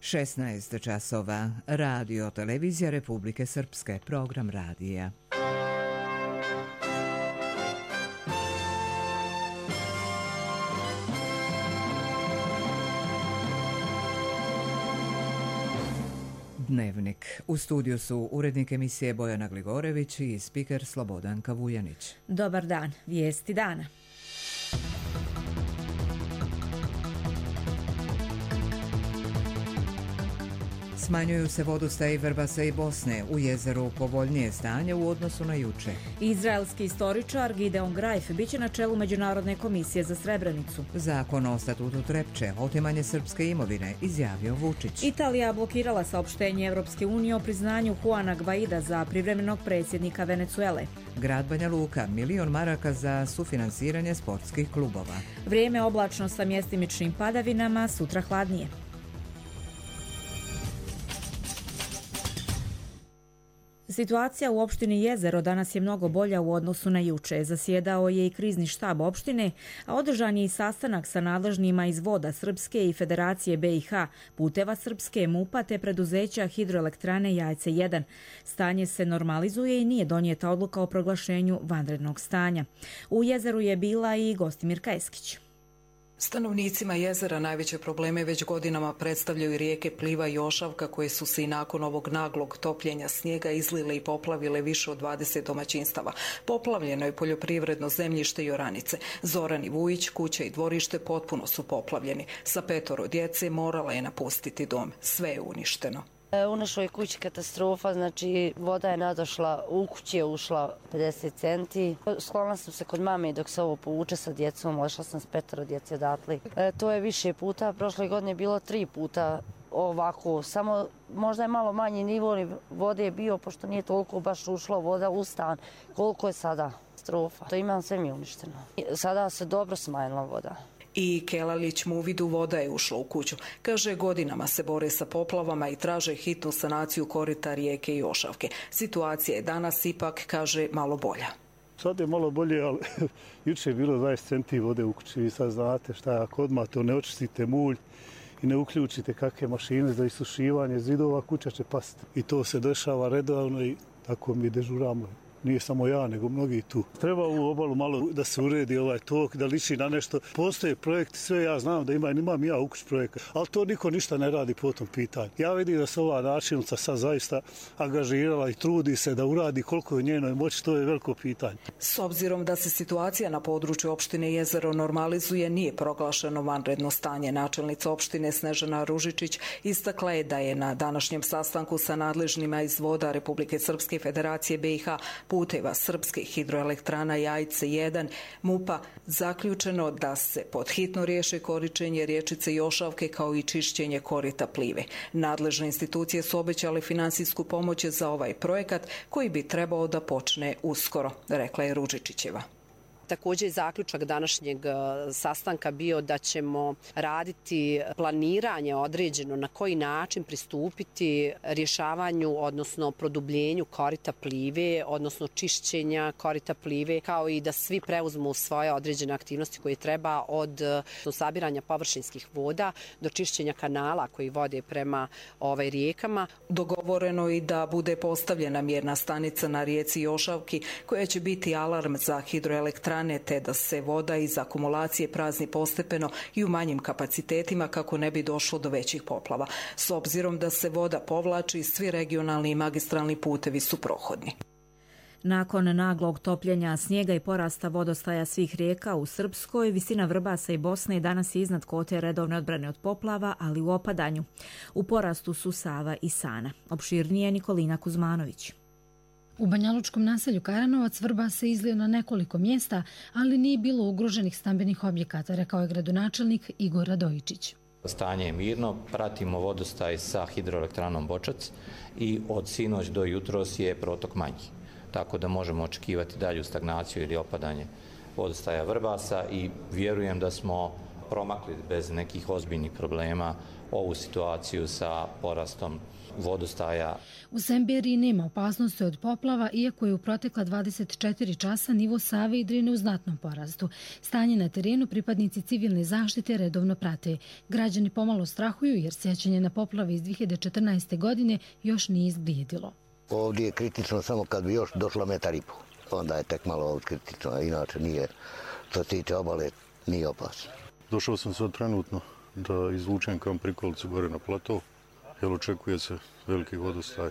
16 časova. Radio Televizija Republike Srpske. Program radija. Dnevnik. U studiju su urednik emisije Bojana Gligorević i spiker Slobodanka Vujanić. Dobar dan. Vijesti dana. Smanjuju se vodostaji Vrbasa i Bosne. U jezeru povoljnije stanje u odnosu na juče. Izraelski istoričar Gideon Grajf biće na čelu Međunarodne komisije za Srebrenicu. Zakon o statutu Trepče, otimanje srpske imovine, izjavio Vučić. Italija blokirala saopštenje Evropske unije o priznanju Juana Gvaida za privremenog predsjednika Venecuele. Grad Banja Luka, $1.000.000 za sufinansiranje sportskih klubova. Vrijeme oblačno sa mjestimičnim padavinama, sutra hladnije. Situacija u opštini Jezero danas je mnogo bolja u odnosu na juče. Zasjedao je i krizni štab opštine, a održan je i sastanak sa nadležnima iz Voda Srpske i Federacije BiH, Puteva Srpske, MUP-a te preduzeća Hidroelektrane Jajce 1. Stanje se normalizuje i nije donijeta odluka o proglašenju vanrednog stanja. U Jezeru je bila i Gostimirka Eskić. Stanovnicima jezera najveće probleme već godinama predstavljaju rijeke Pliva i Ošavka, koje su se i nakon ovog naglog topljenja snijega izlile i poplavile više od 20 domaćinstava. Poplavljeno je poljoprivredno zemljište i oranice. Zoran i Vujić, kuća i dvorište potpuno su poplavljeni. Sa 5 djece morala je napustiti dom. Sve je uništeno. U našoj kući katastrofa, znači voda je nadošla, u kući je ušla 50 centi. Sklonila sam se kod mame dok se ovo povuče sa djecom, odšla sam s 5 djece odatle. To je više puta, prošle godine je bilo 3 puta ovako, samo možda je malo manji nivo vode je bio, pošto nije toliko baš ušla voda u stan, koliko je sada katastrofa. To imam sve mi uništeno. Sada se dobro smanjila voda. I Kelalić mu u vidu voda je ušla u kuću. Kaže, godinama se bore sa poplavama i traže hitnu sanaciju korita rijeke i Ošavke. Situacija je danas ipak, kaže, malo bolja. Sad je malo bolje, ali juče je bilo 20 centi vode u kući. Vi sad znate šta je, ako odmah to ne očistite mulj i ne uključite kakve mašine za isušivanje zidova, kuća će pasti. I to se dešava redovno i tako mi dežuramo. Nije samo ja, nego mnogi tu. Treba u obalu malo da se uredi ovaj tok, da liči na nešto. Postoje projekti, sve ja znam da imam ja u kući projekat, ali to niko ništa ne radi po tom pitanju. Ja vidim da se ova načelnica sad zaista angažirala i trudi se da uradi koliko je u njenoj moći, to je veliko pitanje. S obzirom da se situacija na području opštine Jezero normalizuje, nije proglašeno vanredno stanje. Načelnica opštine Snežana Ružičić istakla je da je na današnjem sastanku sa nadležnima iz Voda Republike Srpske i Federacije BiH, Puteva Srpske, Hidroelektrana Jajce 1, MUP-a zaključeno da se podhitno riješe korištenje riječice Jošavke kao i čišćenje korita Plive. Nadležne institucije su obećale finansijsku pomoć za ovaj projekat koji bi trebao da počne uskoro, rekla je Ružičićeva. Također je zaključak današnjeg sastanka bio da ćemo raditi planiranje određeno na koji način pristupiti rješavanju, odnosno produbljenju korita Plive, odnosno čišćenja korita Plive, kao i da svi preuzmu svoje određene aktivnosti koje treba od sabiranja površinskih voda do čišćenja kanala koji vode prema rijekama. Dogovoreno i da bude postavljena mjerna stanica na rijeci Jošavki koja će biti alarm za hidroelektrane, te da se voda iz akumulacije prazni postepeno i u manjim kapacitetima kako ne bi došlo do većih poplava. S obzirom da se voda povlači, svi regionalni i magistralni putevi su prohodni. Nakon naglog topljenja snijega i porasta vodostaja svih rijeka u Srpskoj, visina Vrbasa i Bosne danas je iznad kvote redovne odbrane od poplava, ali u opadanju. U porastu su Sava i Sana. Opširnije Nikolina Kuzmanović. U banjalučkom naselju Karanovac Vrbas se izlio na nekoliko mjesta, ali nije bilo ugroženih stambenih objekata, rekao je gradonačelnik Igor Radojičić. Stanje je mirno, pratimo vodostaj sa hidroelektranom Bočac i od sinoć do jutros je protok manji. Tako da možemo očekivati dalju stagnaciju ili opadanje vodostaja Vrbasa i vjerujem da smo promakli bez nekih ozbiljnih problema ovu situaciju sa porastom vodostaja. U Semberiji nema opasnosti od poplava, iako je u protekla 24 časa nivo Save i Drine u znatnom porastu. Stanje na terenu pripadnici civilne zaštite redovno prate. Građani pomalo strahuju jer sjećanje na poplave iz 2014. godine još nije izblijedilo. Ovdje je kritično samo kad bi još došla 1,5 metra. Onda je tek malo kritično, a inače nije, što se tiče obale, nije opasno. Došao sam sad trenutno da izvučem kam prikolicu gore na plato, jer očekuje se veliki vodostaj.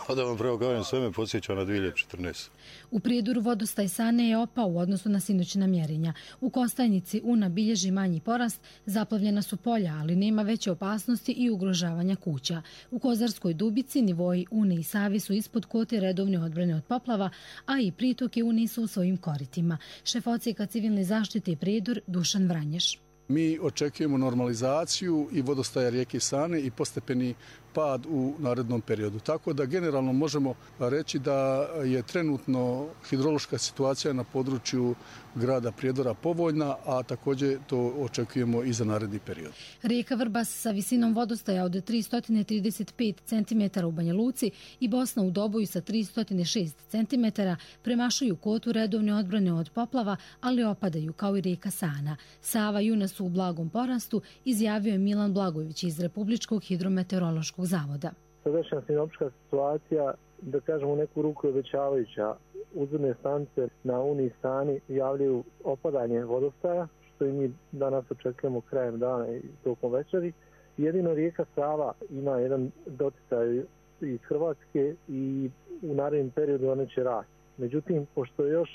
A da vam pravo kažem, sve me podsjeća na 2014. U Prijedoru vodostaj Sane je opao u odnosu na sinoćna mjerenja. U Kostajnici Una bilježi manji porast, zaplavljena su polja, ali nema veće opasnosti i ugrožavanja kuća. U Kozarskoj Dubici nivoji Une i Savi su ispod kote redovne odbrane od poplava, a i pritoke Une su u svojim koritima. Šef odsjeka civilne zaštite Prijedor Dušan Vranješ. Mi očekujemo normalizaciju i vodostaja rijeke Sane i postepeni pad u narednom periodu. Tako da generalno možemo reći da je trenutno hidrološka situacija na području grada Prijedora povoljna, a također to očekujemo i za naredni period. Rijeka Vrbas sa visinom vodostaja od 335 cm u Banja Luci i Bosna u Doboju sa 306 cm premašuju kotu redovne odbrane od poplava, ali opadaju kao i rijeka Sana. Sava i Una su u blagom porastu, izjavio je Milan Blagojević iz Republičkog hidrometeorološkog zavoda. Sadašnja sinoptička situacija, da kažemo u neku ruku, je obećavajuća. Uzvodne stanice na Uni i Sani javljaju opadanje vodostaja, što i mi danas očekujemo krajem dana i tokom večeri. Jedino rijeka Sava ima jedan doticaj iz Hrvatske i u narednom periodu one će rasti. Međutim, pošto je još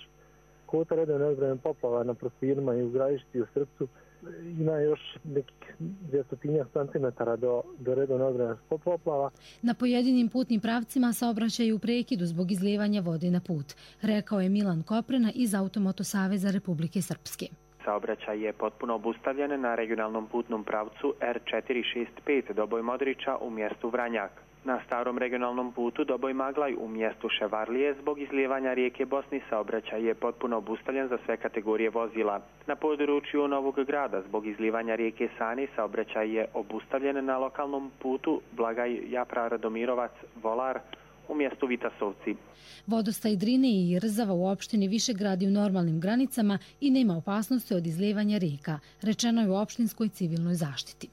kota redovne odbrane poplava na Prostirima i u Gradišti i u Srpcu, ima još nekih 200 centimetara do redovne odbrane poplava. Na pojedinim putnim pravcima saobraćaj u prekidu zbog izlijevanja vode na put, rekao je Milan Koprena iz Automoto saveza Republike Srpske. Saobraćaj je potpuno obustavljen na regionalnom putnom pravcu R465 Doboj Modrića u mjestu Vranjak. Na starom regionalnom putu Doboj Maglaj u mjestu Ševarlije zbog izlijevanja rijeke Bosni saobraćaj je potpuno obustavljen za sve kategorije vozila. Na području Novog Grada zbog izlijevanja rijeke Sani saobraćaj je obustavljen na lokalnom putu Blagaj Japra Radomirovac Volar u mjestu Vitasovci. Vodostaj Drine i Rzava u opštini Višegrad je u normalnim granicama i nema opasnosti od izlijevanja rijeka, rečeno je u opštinskoj civilnoj zaštiti.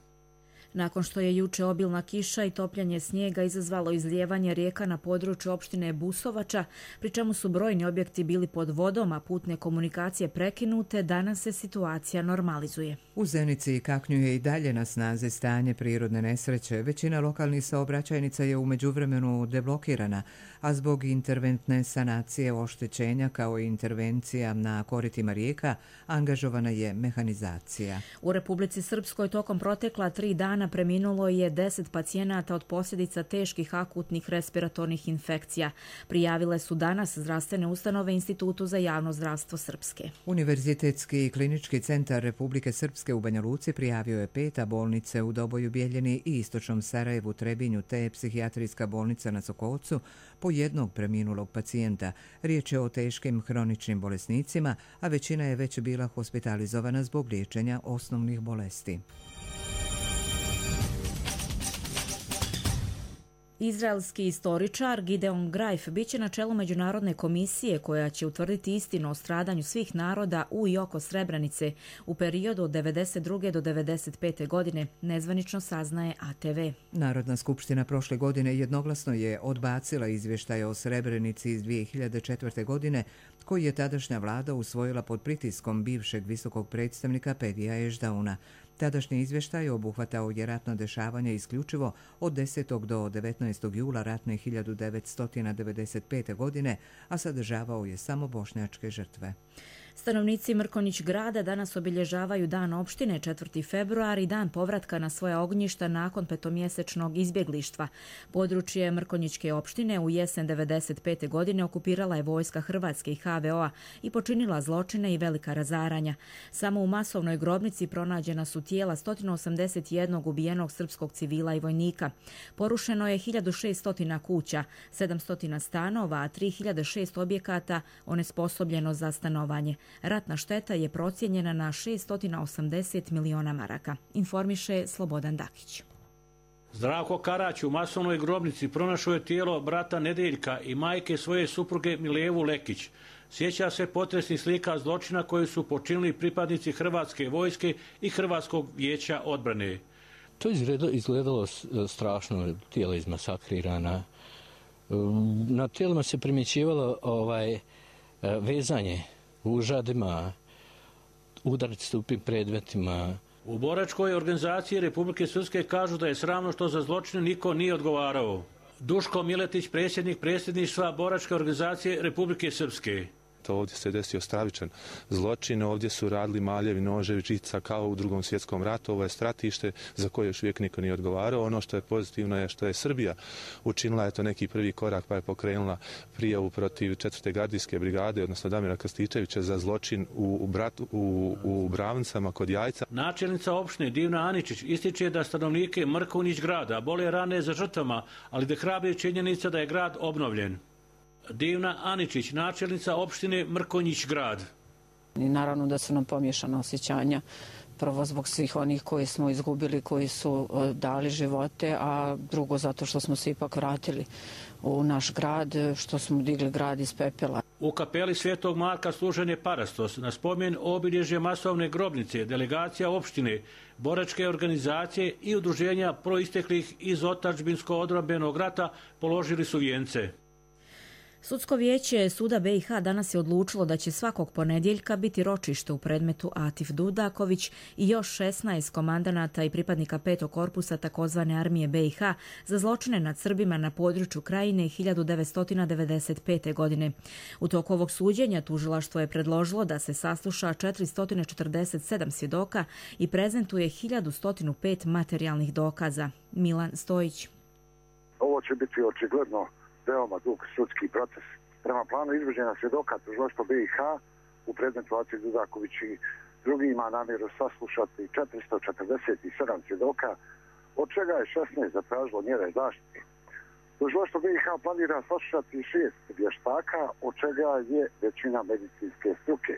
Nakon što je juče obilna kiša i topljanje snijega izazvalo izlijevanje rijeka na području opštine Busovača, pri čemu su brojni objekti bili pod vodom, a putne komunikacije prekinute, danas se situacija normalizuje. U Zenici i Kaknju je i dalje na snazi stanje prirodne nesreće. Većina lokalnih saobraćajnica je u međuvremenu deblokirana, a zbog interventne sanacije oštećenja kao i intervencija na koritima rijeka angažovana je mehanizacija. U Republici Srpskoj tokom protekla 3 dana preminulo je 10 pacijenata od posljedica teških akutnih respiratornih infekcija. Prijavile su danas zdravstvene ustanove Institutu za javno zdravstvo Srpske. Univerzitetski klinički centar Republike Srpske u Banja Luci prijavio je 5, a bolnice u Doboju, Bjeljini i istočnom Sarajevu, Trebinju te psihijatrijska bolnica na Sokolcu po jednog preminulog pacijenta. Riječ je o teškim hroničnim bolesnicima, a većina je već bila hospitalizovana zbog liječenja osnovnih bolesti. Izraelski istoričar Gideon Greif biće na čelu međunarodne komisije koja će utvrditi istinu o stradanju svih naroda u i oko Srebrenice u periodu od 1992. do 1995. godine, nezvanično saznaje ATV. Narodna skupština prošle godine jednoglasno je odbacila izvještaj o Srebrenici iz 2004. godine koji je tadašnja vlada usvojila pod pritiskom bivšeg visokog predstavnika Pedija Ešdauna. Tadašnji izvještaj obuhvatao je ratno dešavanje isključivo od 10. do 19. jula ratne 1995. godine, a sadržavao je samo bošnjačke žrtve. Stanovnici Mrkonjić grada danas obilježavaju dan opštine 4. februar i dan povratka na svoja ognjišta nakon petomjesečnog izbjeglištva. Područje Mrkonjićke opštine u jesen 1995. godine okupirala je vojska Hrvatske i HVO-a i počinila zločine i velika razaranja. Samo u masovnoj grobnici pronađena su tijela 181 ubijenog srpskog civila i vojnika. Porušeno je 1600 kuća, 700 stanova, a 3006 objekata onesposobljeno za stanovanje. Ratna šteta je procijenjena na 680 miliona maraka, informiše Slobodan Dakić. Zdravko Karać u masovnoj grobnici pronašao je tijelo brata Nedeljka i majke svoje supruge Milevu Lekić. Sjeća se potresnih slika zločina koje su počinili pripadnici Hrvatske vojske i Hrvatskog vijeća odbrane. To izgledalo strašno, tijela izmasakrirana. Na tijelima se primjećivalo vezanje užadima, udarci tupim predmetima. U boračkoj organizaciji Republike Srpske kažu da je sramno što za zločine niko nije odgovarao. Duško Miletić, predsjednik predsjedništva boračke organizacije Republike Srpske. Ovdje se desio stravičan zločin, ovdje su radili maljevi, noževi, žica kao u Drugom svjetskom ratu. Ovo je stratište za koje još uvijek niko nije odgovarao. Ono što je pozitivno je što je Srbija učinila je to neki prvi korak pa je pokrenula prijavu protiv 4. gardijske brigade, odnosno Damira Krstičevića za zločin u Bravncama kod Jajca. Načelnica opštine Divna Aničić ističe da stanovnike Mrkonjić grada bole rane za žrtvama, ali da hrabri činjenica da je grad obnovljen. Divna Aničić, načelnica opštine Mrkonjić grad. I naravno da su nam pomiješana osjećanja, prvo zbog svih onih koji smo izgubili, koji su dali živote, a drugo zato što smo se ipak vratili u naš grad, što smo digli grad iz pepela. U kapeli Svetog Marka služen je parastos na spomen obilježje masovne grobnice, delegacija opštine, boračke organizacije i udruženja proisteklih iz otadžbinsko-odbrambenog rata položili su vijence. Sudsko vijeće Suda BiH danas je odlučilo da će svakog ponedjeljka biti ročište u predmetu Atif Dudaković i još 16 komandanata i pripadnika 5. korpusa takozvane armije BiH za zločine nad Srbima na području Krajine 1995. godine. U toku ovog suđenja tužilaštvo je predložilo da se sasluša 447 svjedoka i prezentuje 1105 materijalnih dokaza. Milan Stojić. Ovo će biti očigledno veoma dug sudski proces. Prema planu izvođenja svjedoka tužilaštvo BiH u predmetu Atif Dudaković i drugi ima namjeru saslušati 447 svjedoka, od čega je 16 zatražilo mjere zaštite. Tužilaštvo BiH planira saslušati 6 vještaka, od čega je većina medicinske struke.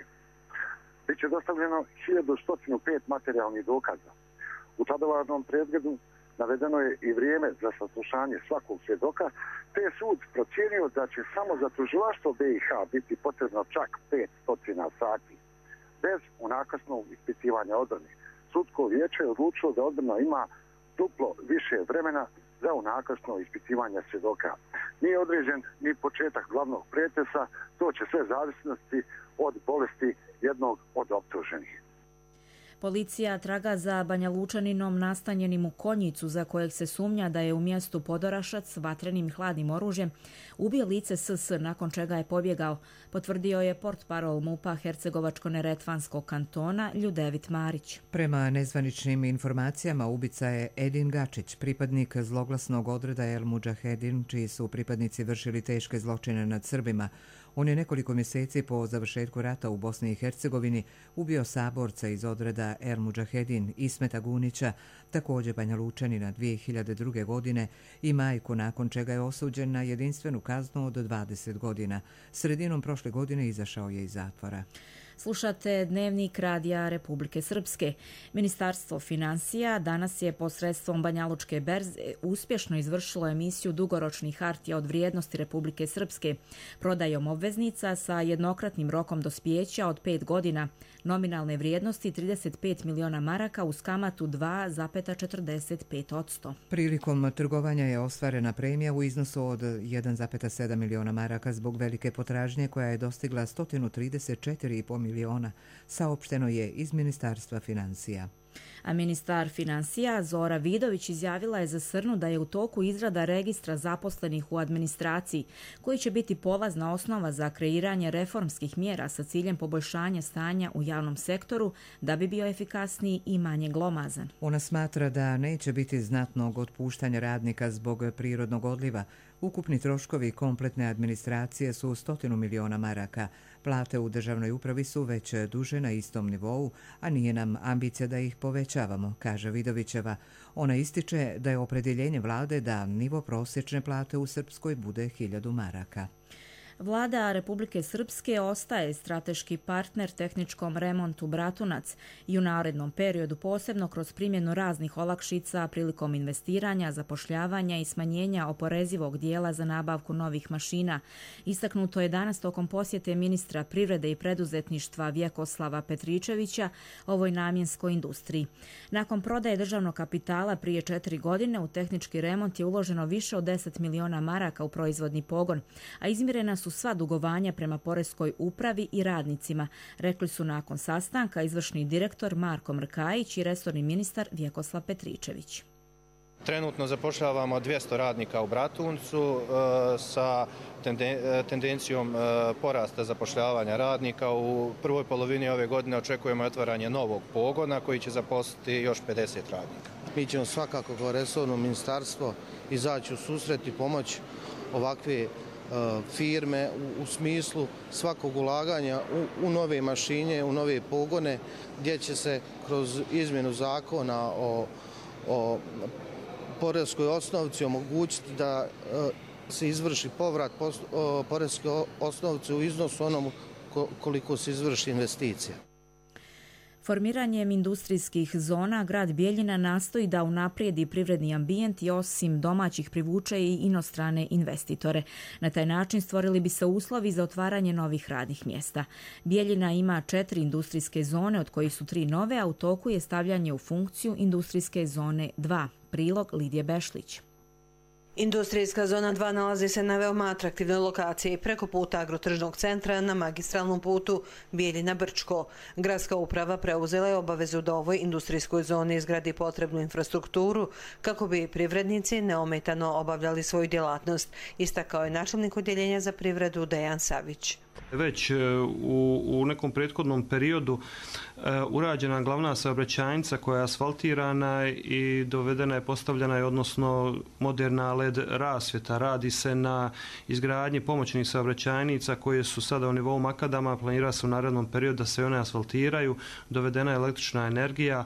Biće dostavljeno 1105 materijalnih dokaza. U tadovarnom predmetu navedeno je i vrijeme za saslušanje svakog svjedoka, te je sud procijenio da će samo za tužilaštvo BiH biti potrebno čak 500 sati, bez unakrsnog ispitivanja odbrane. Sudsko vijeće je odlučilo da odbrana ima duplo više vremena za unakrsno ispitivanje svjedoka. Nije određen ni početak glavnog pretresa, to će sve zavisnosti od bolesti jednog od optuženih. Policija traga za Banjalučaninom nastanjenim u Konjicu, za kojeg se sumnja da je u mjestu Podorašac vatrenim i hladnim oružjem ubio lice SS, nakon čega je pobjegao, potvrdio je portparol MUP-a Hercegovačko-neretvanskog kantona Ljudevit Marić. Prema nezvaničnim informacijama ubica je Edin Gačić, pripadnik zloglasnog odreda El Mudžahedin, čiji su pripadnici vršili teške zločine nad Srbima. On je nekoliko mjeseci po završetku rata u Bosni i Hercegovini ubio saborca iz odreda El Mudžahedin Ismeta Gunića, također Banjalučanina 2002. godine i majku, nakon čega je osuđen na jedinstvenu kaznu od 20 godina. Sredinom prošle godine izašao je iz zatvora. Slušate Dnevnik Radija Republike Srpske. Ministarstvo financija danas je posredstvom Banjalučke berze uspješno izvršilo emisiju dugoročnih hartija od vrijednosti Republike Srpske prodajom obveznica sa jednokratnim rokom dospijeća od 5 godina, nominalne vrijednosti 35 miliona maraka uz kamatu 2,45%. Prilikom trgovanja je ostvarena premija u iznosu od 1,7 miliona maraka zbog velike potražnje koja je dostigla 134,5 miliona, saopšteno je iz Ministarstva financija. A ministar financija Zora Vidović izjavila je za Srnu da je u toku izrada registra zaposlenih u administraciji, koji će biti polazna osnova za kreiranje reformskih mjera sa ciljem poboljšanja stanja u javnom sektoru da bi bio efikasniji i manje glomazan. Ona smatra da neće biti znatnog otpuštanja radnika zbog prirodnog odliva. Ukupni troškovi kompletne administracije su 100 miliona maraka. Plate u državnoj upravi su već duže na istom nivou, a nije nam ambicija da ih povećavamo, kaže Vidovićeva. Ona ističe da je opredjeljenje vlade da nivo prosječne plate u Srpskoj bude 1000 maraka. Vlada Republike Srpske ostaje strateški partner tehničkom remontu Bratunac i u narednom periodu posebno kroz primjenu raznih olakšica prilikom investiranja, zapošljavanja i smanjenja oporezivog dijela za nabavku novih mašina. Istaknuto je danas tokom posjete ministra privrede i preduzetništva Vjekoslava Petričevića ovoj namjenskoj industriji. Nakon prodaje državnog kapitala prije 4 godine u tehnički remont je uloženo više od 10 miliona maraka u proizvodni pogon, a izmirena su sva dugovanja prema poreskoj upravi i radnicima, rekli su nakon sastanka izvršni direktor Marko Mrkajić i resorni ministar Vjekoslav Petričević. Trenutno zapošljavamo 200 radnika u Bratuncu sa tendencijom porasta zapošljavanja radnika. U prvoj polovini ove godine očekujemo otvaranje novog pogona koji će zaposliti još 50 radnika. Mi ćemo svakako kao resorno ministarstvo izaći u susret i pomoć ovakve firme u smislu svakog ulaganja u nove mašine, u nove pogone, gdje će se kroz izmjenu zakona o poreskoj osnovici omogućiti da se izvrši povrat poreske osnovice u iznosu onom koliko se izvrši investicija. Formiranjem industrijskih zona, grad Bijeljina nastoji da unaprijedi privredni ambijent i osim domaćih privuče i inostrane investitore. Na taj način stvorili bi se uslovi za otvaranje novih radnih mjesta. Bijeljina ima 4 industrijske zone, od kojih su 3 nove, a u toku je stavljanje u funkciju industrijske zone 2. Prilog Lidije Bešlić. Industrijska zona 2 nalazi se na veoma atraktivnoj lokaciji preko puta agrotržnog centra na magistralnom putu Bijeljina-Brčko. Gradska uprava preuzela je obavezu da ovoj industrijskoj zoni izgradi potrebnu infrastrukturu kako bi privrednici neometano obavljali svoju djelatnost, istakao je načelnik odjeljenja za privredu Dejan Savić. Već u nekom prethodnom periodu urađena glavna saobraćajnica koja je asfaltirana i dovedena je, postavljena je, odnosno moderna LED rasvjeta. Radi se na izgradnji pomoćnih saobraćajnica koje su sada u nivou makadama, planira se u narednom periodu da se one asfaltiraju, dovedena je električna energija,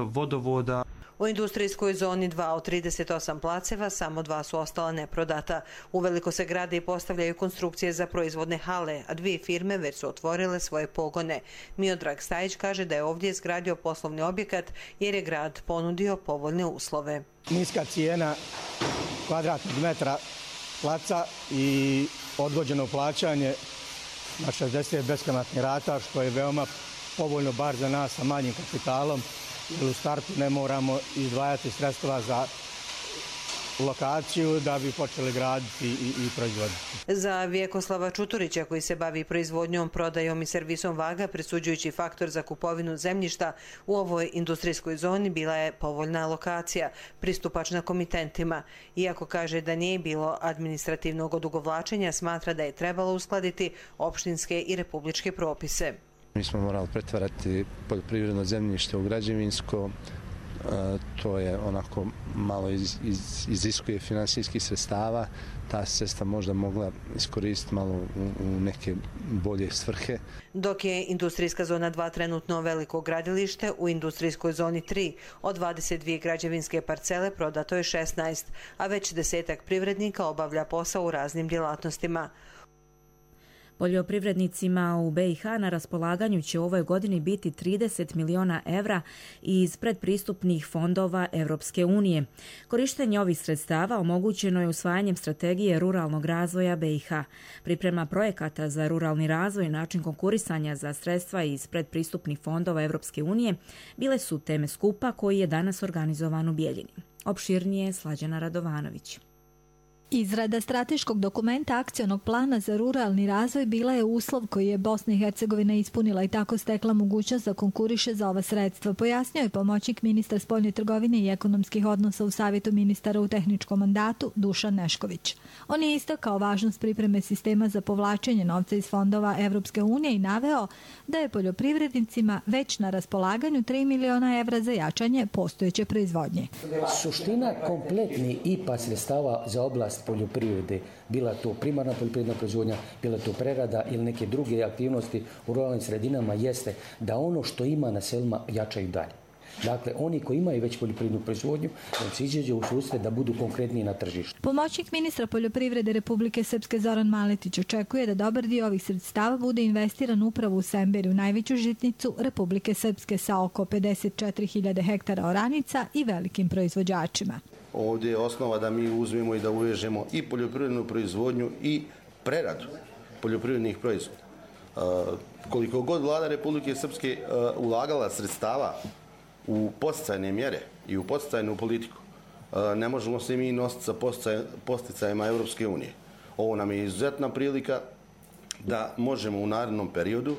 vodovoda. U industrijskoj zoni 2 od 38 placeva samo 2 su ostala neprodata. Uveliko se grade i postavljaju konstrukcije za proizvodne hale, a 2 firme već su otvorile svoje pogone. Miodrag Stajić kaže da je ovdje izgradio poslovni objekat jer je grad ponudio povoljne uslove. Niska cijena kvadratnog metra placa i odgođeno plaćanje na 60 beskamatnih rata, što je veoma povoljno bar za nas sa manjim kapitalom. U startu ne moramo izdvajati sredstva za lokaciju da bi počeli graditi i proizvoditi. Za Vjekoslava Čuturića, koji se bavi proizvodnjom, prodajom i servisom vaga, presuđujući faktor za kupovinu zemljišta u ovoj industrijskoj zoni, bila je povoljna lokacija, pristupačna komitentima. Iako kaže da nije bilo administrativnog odugovlačenja, smatra da je trebalo uskladiti opštinske i republičke propise. Mi smo morali pretvarati poljoprivredno zemljište u građevinsko, to je onako malo iziskuje finansijskih sredstava, ta sredstva možda mogla iskoristiti malo u neke bolje svrhe. Dok je industrijska zona 2 trenutno veliko gradilište, u industrijskoj zoni 3 od 22 građevinske parcele prodato je 16, a već 10-ak privrednika obavlja posao u raznim djelatnostima. Poljoprivrednicima u BiH na raspolaganju će u ovoj godini biti 30 miliona evra iz predpristupnih fondova Europske unije. Korištenje ovih sredstava omogućeno je usvajanjem strategije ruralnog razvoja BiH. Priprema projekata za ruralni razvoj i način konkurisanja za sredstva iz predpristupnih fondova Europske unije bile su teme skupa koji je danas organizovan u Bijeljini. Opširnije Slađana Radovanović. Izrada strateškog dokumenta akcionog plana za ruralni razvoj bila je uslov koji je Bosna i Hercegovina ispunila i tako stekla mogućnost da konkuriše za ova sredstva, pojasnio je pomoćnik ministra spoljne trgovine i ekonomskih odnosa u Savjetu ministara u tehničkom mandatu Dušan Nešković. On je istakao važnost pripreme sistema za povlačenje novca iz fondova Evropske unije i naveo da je poljoprivrednicima već na raspolaganju 3 miliona evra za jačanje postojeće proizvodnje. Suština kompletni IPA sredstava za oblast poljoprivrede, bila to primarna poljoprivredna proizvodnja, bila to prerada ili neke druge aktivnosti u ruralnim sredinama, jeste da ono što ima na selima jačaju dalje. Dakle, oni koji imaju već poljoprivrednu proizvodnju, da se izađe u susret da budu konkretniji na tržištu. Pomoćnik ministra poljoprivrede Republike Srpske Zoran Maletić očekuje da dobar dio ovih sredstava bude investiran upravo u Semberiju, najveću žitnicu Republike Srpske sa oko 54.000 hektara oranica i velikim proizvođačima. Ovdje je osnova da mi uzmemo i da uvežemo i poljoprivrednu proizvodnju i preradu poljoprivrednih proizvoda. Koliko god vlada Republike Srpske ulagala sredstava u podsticajne mjere i u podsticajnu politiku, ne možemo se mi nositi sa podsticajima Europske unije. Ovo nam je izuzetna prilika da možemo u narednom periodu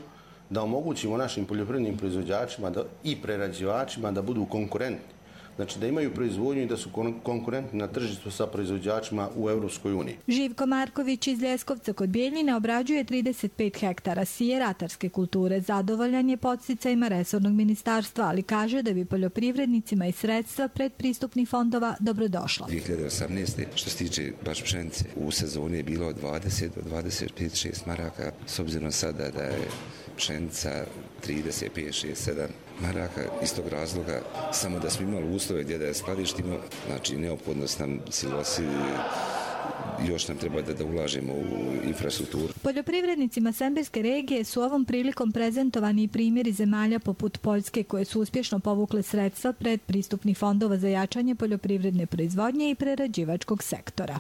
da omogućimo našim poljoprivrednim proizvođačima i prerađivačima da budu konkurentni. Znači da imaju proizvodnju i da su konkurentni na tržištu sa proizvođačima u Europskoj uniji. Živko Marković iz Ljeskovca kod Bijeljine obrađuje 35 hektara sije ratarske kulture. Zadovoljan je podsticajima resornog ministarstva, ali kaže da bi poljoprivrednicima i sredstva predpristupnih fondova dobrodošla. 2018. što se tiče baš pšenice, u sezoni je bilo od 20 do 25-6 maraka, s obzirom sada da je pšenica 35, 6, 7 maraka. Iz tog razloga, samo da smo imali uslove gdje da je skladištimo, znači neophodnost nam silosi, još nam treba da ulažemo u infrastrukturu. Poljoprivrednicima Semberske regije su ovom prilikom prezentovani i primjeri zemalja poput Poljske koje su uspješno povukle sredstva predpristupnih fondova za jačanje poljoprivredne proizvodnje i prerađivačkog sektora.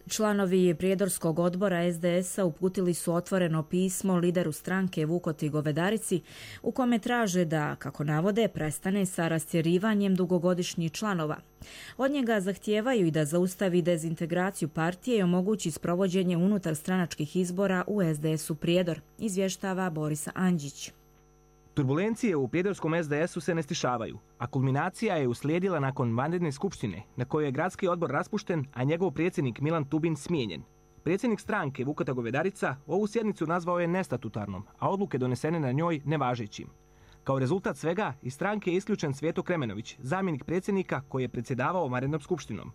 Članovi Prijedorskog odbora SDS-a uputili su otvoreno pismo lideru stranke Vukoti Govedarici u kome traže da, kako navode, prestane sa rastjerivanjem dugogodišnjih članova. Od njega zahtijevaju i da zaustavi dezintegraciju partije i omogući sprovođenje unutar stranačkih izbora u SDS-u Prijedor, izvještava Borisa Anđić. Turbulencije u prijedorskom SDS-u se ne stišavaju, a kulminacija je uslijedila nakon vanredne skupštine na kojoj je gradski odbor raspušten, a njegov predsjednik Milan Tubin smijenjen. Predsjednik stranke Vukota Govedarica ovu sjednicu nazvao je nestatutarnom, a odluke donesene na njoj nevažećim. Kao rezultat svega, iz stranke je isključen Cvijeto Kremenović, zamjenik predsjednika koji je predsjedavao vanrednom skupštinom.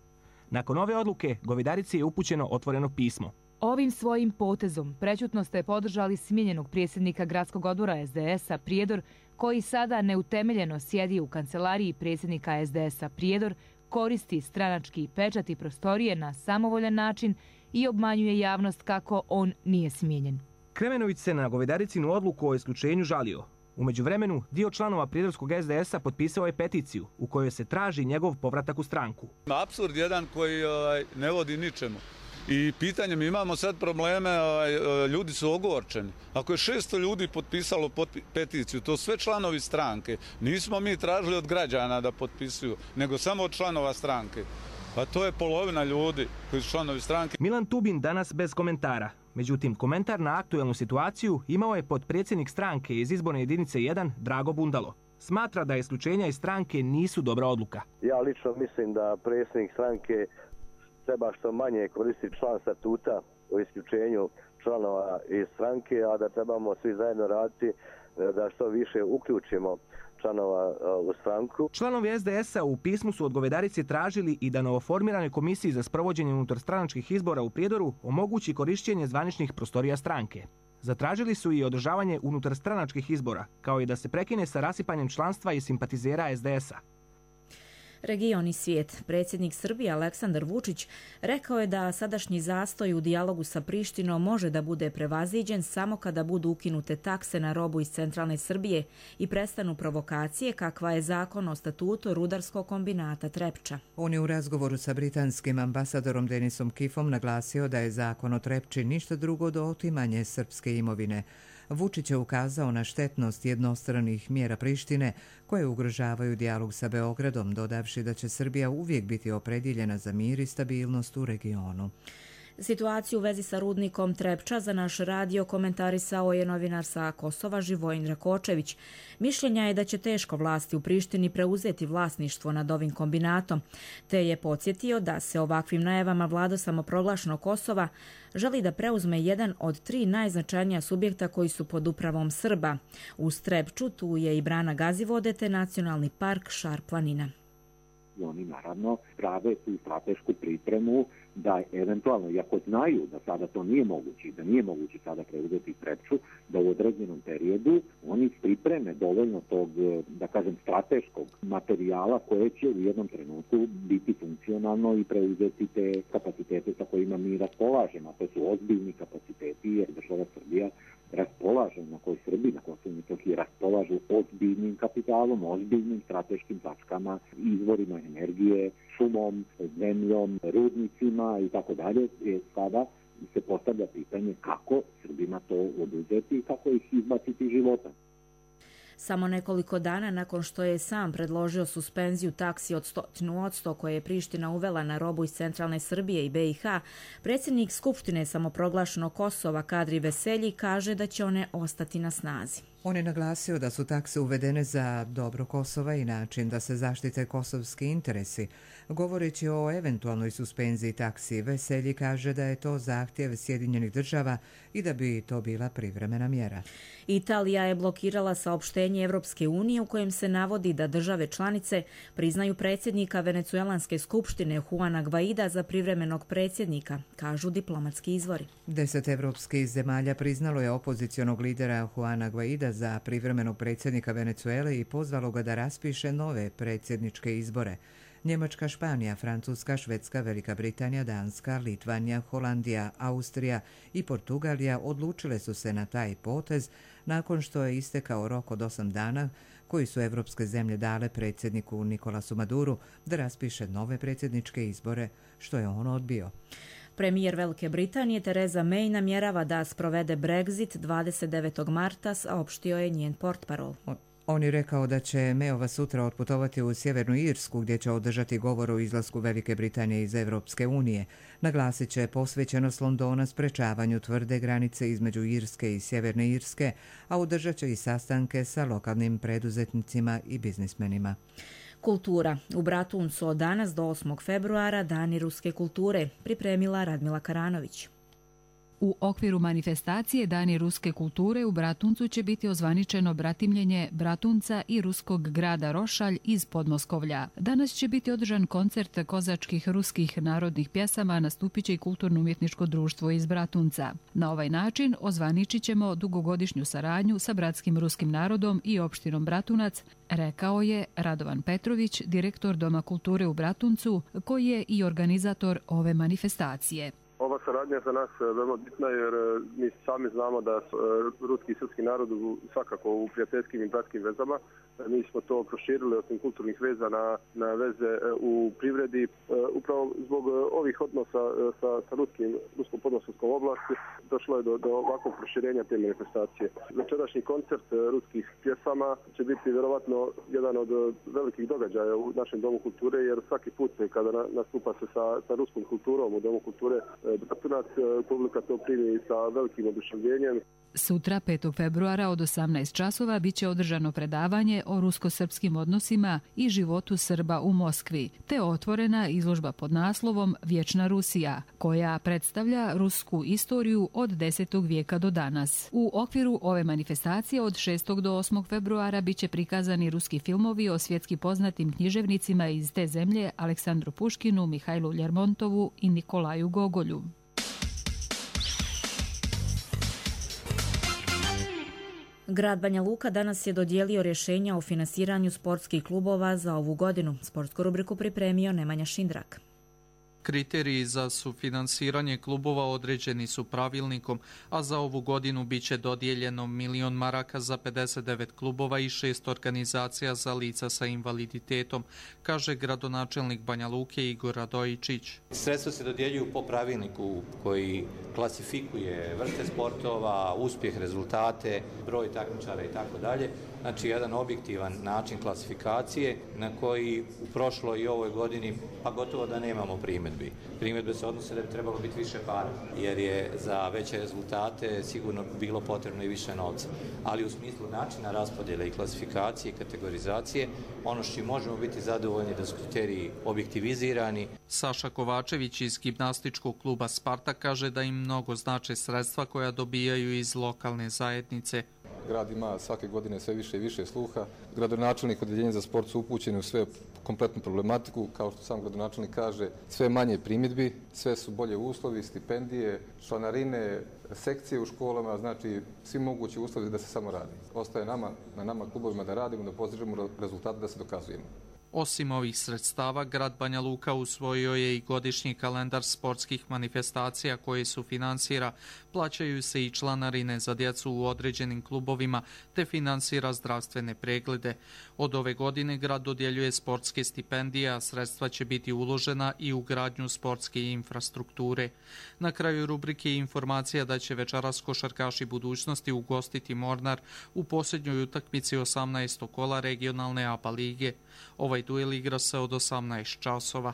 Nakon ove odluke, Govedarici je upućeno otvoreno pismo. Ovim svojim potezom prećutno ste podržali smijenjenog predsjednika gradskog odbora SDS-a Prijedor, koji sada neutemeljeno sjedi u kancelariji predsjednika SDS-a Prijedor, koristi stranački pečat i prostorije na samovoljan način i obmanjuje javnost kako on nije smijenjen. Kremenović se na Govedaricinu odluku o isključenju žalio. U međuvremenu, dio članova prijedorskog SDS-a potpisao je peticiju u kojoj se traži njegov povratak u stranku. Apsurd jedan koji ne vodi ničemu. I pitanje, mi imamo sad probleme, ljudi su ogorčeni. Ako je 600 ljudi potpisalo peticiju, to sve članovi stranke, nismo mi tražili od građana da potpisuju, nego samo od članova stranke. Pa to je polovina ljudi koji su članovi stranke. Milan Tubin danas bez komentara. Međutim, komentar na aktuelnu situaciju imao je potpredsjednik stranke iz izborne jedinice 1, Drago Bundalo. Smatra da isključenja iz stranke nisu dobra odluka. Ja lično mislim da predsjednik stranke treba što manje koristiti član statuta o isključenju članova iz stranke, a da trebamo svi zajedno raditi da što više uključimo članova u stranku. Članovi SDS-a u pismu su od Govedarice tražili i da novoformiranoj komisiji za sprovođenje unutarstranačkih izbora u Prijedoru omogući korištenje zvaničnih prostorija stranke. Zatražili su i održavanje unutarstranačkih izbora, kao i da se prekine sa rasipanjem članstva i simpatizera SDS-a. Region i svijet. Predsjednik Srbije Aleksandar Vučić rekao je da sadašnji zastoj u dijalogu sa Prištinom može da bude prevaziđen samo kada budu ukinute takse na robu iz centralne Srbije i prestanu provokacije kakva je zakon o statutu rudarskog kombinata Trepča. On je u razgovoru sa britanskim ambasadorom Denisom Kifom naglasio da je zakon o Trepči ništa drugo do otimanje srpske imovine. Vučić je ukazao na štetnost jednostranih mjera Prištine koje ugrožavaju dijalog sa Beogradom, dodavši da će Srbija uvijek biti opredjeljena za mir i stabilnost u regionu. Situaciju u vezi sa rudnikom Trepča za naš radio komentarisao je novinar sa Kosova Živojin Rakočević. Mišljenja je da će teško vlasti u Prištini preuzeti vlasništvo nad ovim kombinatom, te je podsjetio da se ovakvim najavama vlada samoproglašenog Kosova želi da preuzme jedan od 3 najznačajnija subjekta koji su pod upravom Srba. Uz Trepču tu je i brana Gazivode te nacionalni park Šar planina. oni naravno prave tu stratešku pripremu da eventualno, iako znaju da sada to nije moguće, da nije moguće sada preuzeti Trepču, da u određenom periodu oni pripreme dovoljno tog, da kažem, strateškog materijala koje će u jednom trenutku biti funkcionalno i preuzeti te kapacitete sa kojima mi raspolažemo. To su ozbiljni kapaciteti jer država Srbija raspolaže, na kojoj Srbi na Kosovu i Metohiji raspolažu ozbiljnim kapitalom, ozbiljnim strateškim tačkama, izvorima energije, šumom, zemljom, rudnicima i tako dalje. Sada se postavlja pitanje kako Srbima to oduzeti i kako ih izbaciti iz života. Samo nekoliko dana nakon što je sam predložio suspenziju taksi od 100% koje je Priština uvela na robu iz centralne Srbije i BiH, predsjednik Skupštine samoproglašenog Kosova Kadri Veselji kaže da će one ostati na snazi. On je naglasio da su takse uvedene za dobro Kosova i način da se zaštite kosovski interesi. Govoreći o eventualnoj suspenziji taksi, Veselji kaže da je to zahtjev Sjedinjenih država i da bi to bila privremena mjera. Italija je blokirala saopštenje Evropske unije u kojem se navodi da države članice priznaju predsjednika Venecuelanske skupštine Juana Guaida za privremenog predsjednika, kažu diplomatski izvori. 10 evropskih zemalja priznalo je opozicionog lidera Juana Guaida za privremenog predsjednika Venecuele i pozvalo ga da raspiše nove predsjedničke izbore. Njemačka, Španija, Francuska, Švedska, Velika Britanija, Danska, Litvanija, Holandija, Austrija i Portugalija odlučile su se na taj potez nakon što je istekao rok od 8 dana koji su evropske zemlje dale predsjedniku Nikolasu Maduru da raspiše nove predsjedničke izbore, što je on odbio. Premijer Velike Britanije Theresa May namjerava da sprovede Brexit 29. marta, saopštio je njen portparol. On je rekao da će Mayova sutra otputovati u Sjevernu Irsku gdje će održati govor o izlasku Velike Britanije iz Evropske unije. Naglasit će posvećenost Londona sprečavanju tvrde granice između Irske i Sjeverne Irske, a održat će i sastanke sa lokalnim preduzetnicima i biznismenima. Kultura. U Bratuncu od danas do 8. februara Dani ruske kulture, pripremila Radmila Karanović. U okviru manifestacije Dani ruske kulture u Bratuncu će biti ozvaničeno bratimljenje Bratunca i ruskog grada Rošalj iz Podmoskovlja. Danas će biti održan koncert kozačkih ruskih narodnih pjesama, nastupit će i kulturno-umjetničko društvo iz Bratunca. Na ovaj način ozvaničit ćemo dugogodišnju saradnju sa bratskim ruskim narodom i opštinom Bratunac, rekao je Radovan Petrović, direktor Doma kulture u Bratuncu, koji je i organizator ove manifestacije. Ova saradnja za nas je veoma bitna jer mi sami znamo da ruski i srpski narod svakako u prijateljskim i bratskim vezama. Mi smo to proširili osim kulturnih veza na veze u privredi. Upravo zbog ovih odnosa sa ruskom podmoskovskom oblasti došlo je do ovakvog proširenja te manifestacije. Večerašnji koncert ruskih pjesama će biti vjerovatno jedan od velikih događaja u našem Domu kulture jer svaki put kada nastupa se sa ruskom kulturom u Domu kulture Bratunac, publika to primi sa velikim oduševljenjem. Sutra, 5. februara od 18 časova, biće održano predavanje o rusko-srpskim odnosima i životu Srba u Moskvi, te otvorena izložba pod naslovom Vječna Rusija, koja predstavlja rusku istoriju od 10. vijeka do danas. U okviru ove manifestacije od 6. do 8. februara biće prikazani ruski filmovi o svjetski poznatim književnicima iz te zemlje Aleksandru Puškinu, Mihajlu Ljermontovu i Nikolaju Gogolju. Grad Banja Luka danas je dodijelio rješenja o finansiranju sportskih klubova za ovu godinu. Sportsku rubriku pripremio Nemanja Šindrak. Kriteriji za sufinansiranje klubova određeni su pravilnikom, a za ovu godinu biće dodijeljeno 1.000.000 maraka za 59 klubova i 6 organizacija za lica sa invaliditetom, kaže gradonačelnik Banja Luke Igor Radojičić. Sredstva se dodjeljuju po pravilniku koji klasifikuje vrste sportova, uspjeh, rezultate, broj takmičara i tako dalje. Znači jedan objektivan način klasifikacije na koji u prošloj i ovoj godini pa gotovo da nemamo primjedbi. Primjedbe se odnose da bi trebalo biti više para, jer je za veće rezultate sigurno bilo potrebno i više novca. Ali u smislu načina raspodjele i klasifikacije i kategorizacije, ono što možemo biti zadovoljni da su kriteriji objektivizirani. Saša Kovačević iz gimnastičkog kluba Sparta kaže da im mnogo znače sredstva koja dobijaju iz lokalne zajednice. grad ima svake godine sve više i više sluha. Gradonačelnik odeljenja za sport su upućeni u sve kompletnu problematiku, kao što sam gradonačelnik kaže, sve manje primjedbi, sve su bolje uslovi, stipendije, članarine, sekcije u školama, znači svi mogući uslovi da se samo radi. Ostaje na nama klubovima da radimo, da postižemo rezultate, da se dokazujemo. Osim ovih sredstava, grad Banja Luka usvojio je i godišnji kalendar sportskih manifestacija koje su finansira. Plaćaju se i članarine za djecu u određenim klubovima te finansira zdravstvene preglede. Od ove godine grad dodjeljuje sportske stipendije, a sredstva će biti uložena i u gradnju sportske infrastrukture. Na kraju rubrike informacija da će večeras košarkaši budućnosti ugostiti Mornar u posljednjoj utakmici 18. kola regionalne ABA lige. Ovaj duel igra se od 18 časova.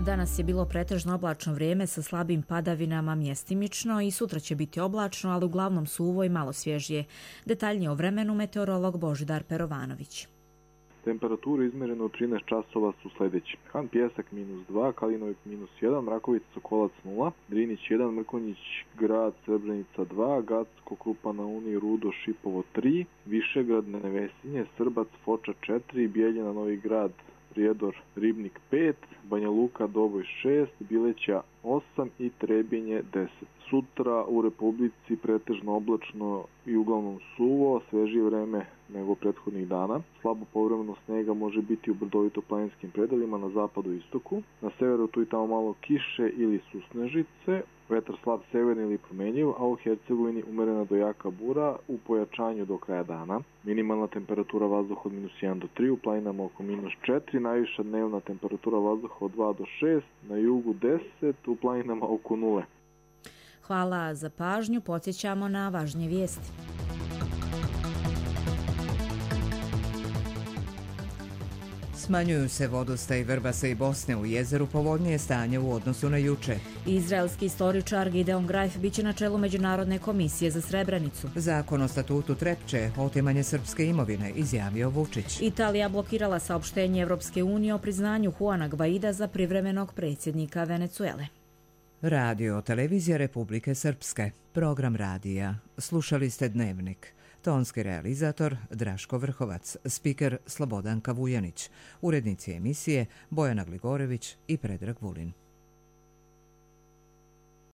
Danas je bilo pretežno oblačno vrijeme sa slabim padavinama mjestimično i sutra će biti oblačno, ali uglavnom suvo i malo svježije. Detaljnije o vremenu meteorolog Božidar Perovanović. Temperature izmjerene u 13 časova su sljedeći. Han Pjesak -2, Kalinovik -1, Mrakovica Sokolac 0, Drinić 1, Mrkonjić Grad Srebrenica 2, Gacko Krupa na Uni Rudo Šipovo 3, Višegrad Nevesinje, Srbac Foča 4, Bijeljina Novi Grad Prijedor Ribnik 5, Banja Luka Doboj 6, Bileća 8 i Trebinje 10. Sutra u Republici pretežno oblačno i uglavnom suvo, svežije vreme nego prethodnih dana. Slabo povremeno snega može biti u brdovito-planinskim predelima na zapadu i istoku. Na severu tu i tamo malo kiše ili susnežice. Vetar slab severni ili promenjiv, a u Hercegovini umerena do jaka bura u pojačanju do kraja dana. Minimalna temperatura vazduha od -1 do 3, u planinama oko -4, najviša dnevna temperatura vazduha od 2 do 6, na jugu 10, u planinama oko 0. Hvala za pažnju, podsjećamo na važnije vijesti. Smanjuju se vodostaj Vrbasa i Bosne, u jezeru povoljnije stanje u odnosu na juče. Izraelski istoričar Gideon Greif biće na čelu Međunarodne komisije za Srebrenicu. Zakon o statutu Trepče, otimanje srpske imovine, izjavio Vučić. Italija blokirala saopštenje Evropske unije o priznanju Juana Gvaida za privremenog predsjednika Venecuele. Radio Televizija Republike Srpske. Program radija. Slušali ste Dnevnik. Tonski realizator Draško Vrhovac, spiker Slobodanka Vujanić, urednici emisije Bojana Gligorević i Predrag Vulin.